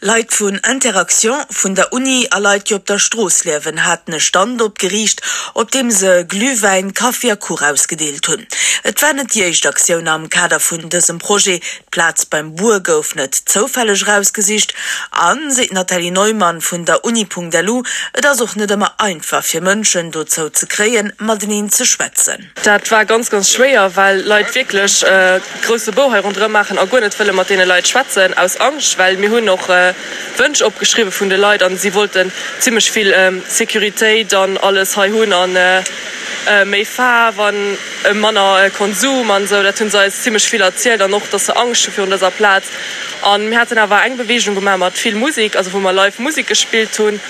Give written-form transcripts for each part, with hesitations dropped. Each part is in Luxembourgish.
Leit vun Interaction, vun der Uni a Leit, déi op der Strooss liewen, haten e Stand opgeriicht, op deem se Glühwäin, Kaffi a Kuch ausgedeelt hunn. Et war net déi éischt Aktioun am Kader vun dësem Projet. D'Plaz beim Buer gouf net zoufälleg erausgesicht. An, seet d'Nathalie Neumann vun der Uni.lu, et ass och net ëmmer einfach fir Mënschen dozou ze kréien, mateneen ze schwätzen. Dat war ganz, ganz schwéier, well Leit wierklech grousse Bou hei ronderëm maachen a guer net wëlle mat deene Leit schwätzen, aus Angscht, well mir hunn och Wënsch opgeschriwwe vun de Leit an si wollten zimmlech vill Sécuritéit an alles hei hunn a méi Faarf a manner Konsum an esou. Dat hu se eis zimmlech vill erzielt an och, dass se Angscht hu virun dëser Plaz. An mir haten awer eng Beweegung gemaach mat vill Musek, also wou mer live Musek gespillt hunn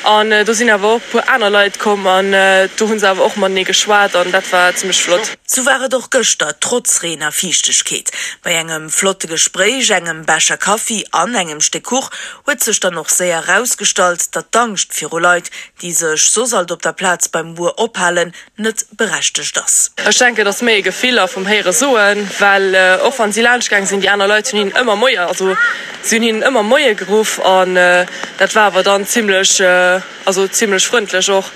an do sinn awer och e puer aner Leit komm an do hu se awer och matenee geschwat an dat war zimmlech flott. Sou war et och gëschter, trotz Reen a Fiichtegkeet. Bei engem flotte Gespréich, engem Becher Kaffi an engem Stéck Kuch huet sech dann och séier erausgestallt, datt d'Angscht viru Leit, déi sech soss alt op der Plaz beim Buer ophalen, net berechtegt ass. Ech denken, et ass méi e Gefill a vum Héiere soen, well och wann si laanscht gaang sinn, déi aner Leit hunn hinnen ëmmer Moie, also si hunn hinnen ëmmer Moie geruff an dat war awer dann zimlech, also zimlech frëndlech och.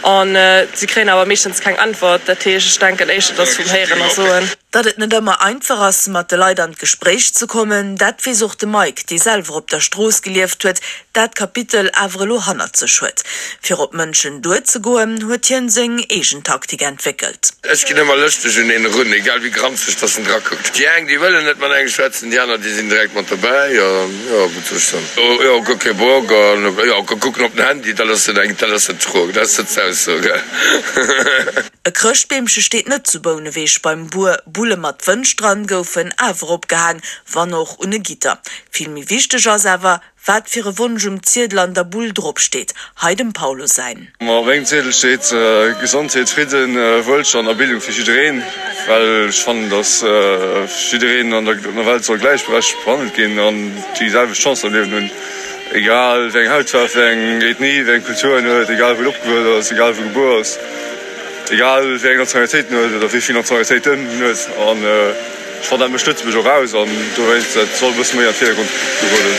An si kréien awer meeschtens keng Äntwert. Dat heescht, ech denken éischter, et ass vum Héieren a Soen. Datt et net ëmmer einfach ass, mat de Leit an d'Gespréich ze kommen, dat weess och de Mike, dee selwer op der Strooss gelieft huet, dat Kapitel awer elo hannert sech huet. Fir op Mënschen duerzegoen, huet hien seng eegen Taktik entwéckelt. Ech ginn ëmmer lëschteg un een erun, egal wéi granzeg dass en drakuckt. Déi eng, déi wëllen net mat engem schwätzen, déi aner, déi sinn direkt mat dobäi. Jo, wat soll ech soen? Jo, guer kee Bock an jo, kucken op den Handy, dat ass net eng, dat ass net d'Fro, dat ass net d'Ausso, gell? E Chrëschtbeemche steet net zu Bouneweg beim Buer. Bulle mat Wënsch dran goufen awer opgehaang, wann och un e Gitter. Vill méi wichteg ass awer, wat fir e Wonsch um Ziedel an der Bull drop steet. Hei dem Paulo säin. Ma op mengem Ziedel steet, Gesondheet, Fridden, Wuelstand a Bildung fir jiddereen, well ech fannen, dass jiddereen an der Welt soll gläichberechtegt behandelt ginn an déi selwecht Chancen am Liewen hunn, egal wéi eng Hautfaarf, wéi eng Ethnie, wéi eng Kultur en huet, egal wou en opgewuess ass, egal wou e gebuer ass, egal wéi eng Nationalitéit en huet oder wéi vill Nationalitéiten en huet. An ech fannen, dat mécht Lëtzebuerg och aus an dowéinst, dat soll e bësse méi an d'Virdergrond geroden.